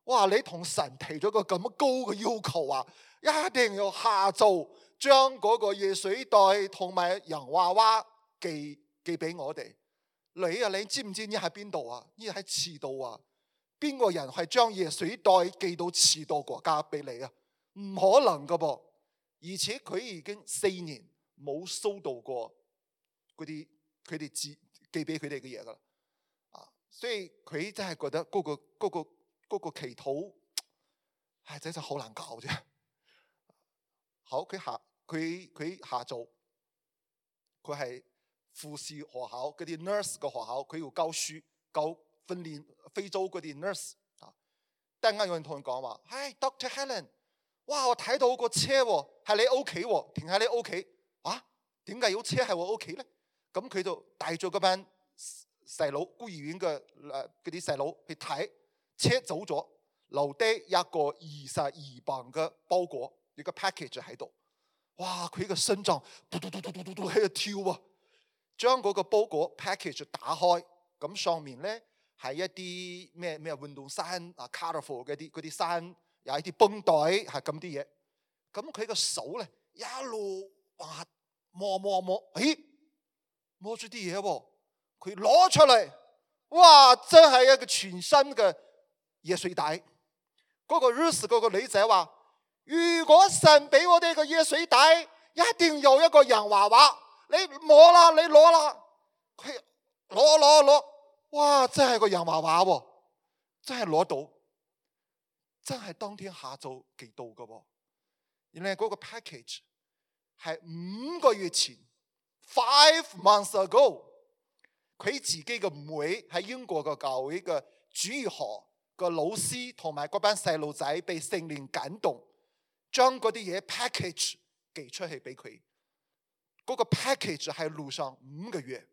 哇！你同神提咗個咁高嘅要求啊，一定要下晝將嗰個熱水袋同埋洋娃娃寄俾我哋。你知唔知呢喺邊度啊？呢喺赤道啊！邊個人係將熱水袋寄到赤道國家俾你啊？唔可能㗎噃。而且佢已經4年冇收到過嗰啲佢哋寄俾佢哋嘅嘢噶啦。所以佢真係覺得嗰個祈禱係真係好難搞啫。好，佢下晝佢係護士學校嗰啲 nurse 嘅學校，佢要教書教訓練非洲嗰啲 nurse。突然間有人同佢講話，Dr. Helen， 哇！我睇到個車喎，係你屋企喎，停喺你屋企。點解有車喺我屋企咧？咁佢就帶咗嗰班細佬，孤兒院嘅嗰啲細佬去睇，車走咗，留低一個22磅嘅包裹，一個 package 喺度。哇！佢個心臟嘟嘟嘟嘟嘟嘟喺度跳啊！將嗰個包裹 package 打開，咁上面咧係一啲咩運動衫，colorful 嗰啲衫，有一啲繃帶，係咁啲嘢。咁佢個手咧一路摸，摸住啲嘢喎，佢攞出嚟，哇！真係一個全新嘅嘢水袋。嗰個 Ruth 嗰個女仔話：如果神俾我哋個嘢水袋，一定有一個洋娃娃。你摸啦，你攞啦，佢攞，哇！真係個洋娃娃喎，真係攞到，真係當天下晝寄到嘅喎。原來嗰個 package 係5個月前 5 months ago， 佢自己嘅妹喺英國嘅教會嘅主日學個老師同埋嗰班細路仔被聖靈感動，將嗰啲嘢 package 寄出去俾佢。嗰個 package 喺路上5個月，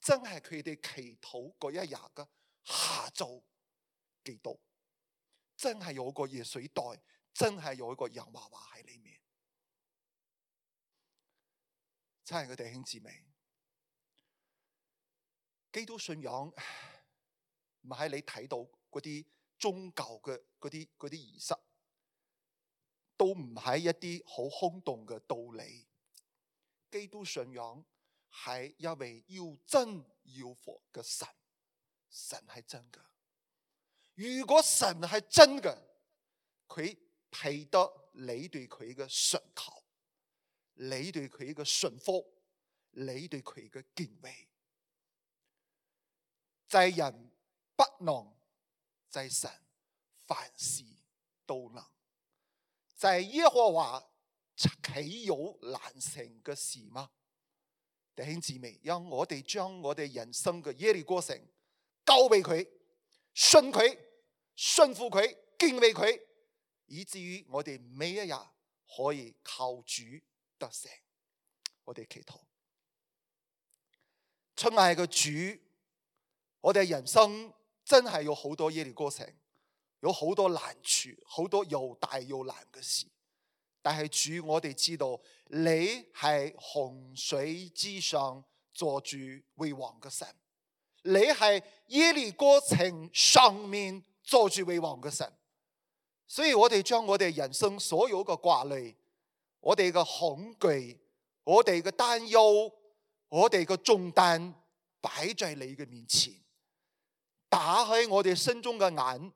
真係佢哋祈禱嗰一日嘅下晝寄到，真係有個嘢水袋，真係有一個洋娃娃喺裏面。親愛嘅弟兄姊妹，基督信仰唔係你睇到嗰啲宗教嘅嗰啲儀式，都唔係一啲好空洞嘅道理。基督信仰係一位要真要活嘅神，神係真嘅。如果神係真嘅，佢配得你對佢嘅信求，你對佢嘅順服，你對佢嘅敬畏。在人不能，在神凡事都能。在耶和華豈有難成嘅事嗎？弟兄姊妹，讓我哋將我哋人生嘅耶利哥城交俾佢，信佢，信服佢，敬畏佢，以至於我哋每一日可以靠主得勝。我哋祈禱。親愛嘅主，我哋人生真係有好多耶利哥城，有好多難處，好多又大又難嘅事。但係主，我哋知道你係洪水之上坐住為王嘅神，你係耶利哥城上面坐住為王嘅神。所以我哋將我哋人生所有嘅掛慮，我哋嘅恐懼，我哋嘅擔憂，我哋嘅重擔擺在你嘅面前，打開我哋心中嘅眼，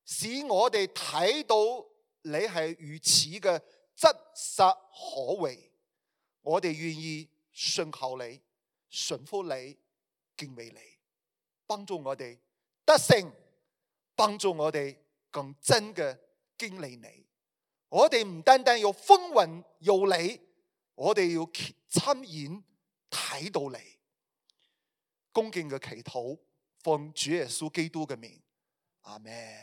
使我哋睇到你係如此嘅真實可為。我哋願意信靠你，順服你，敬畏你，幫助我哋得勝，幫助我哋更真嘅經歷你。我哋唔單單要風雲有你，我哋要親眼睇到你。恭敬嘅祈禱，奉主耶穌基督嘅名，阿們。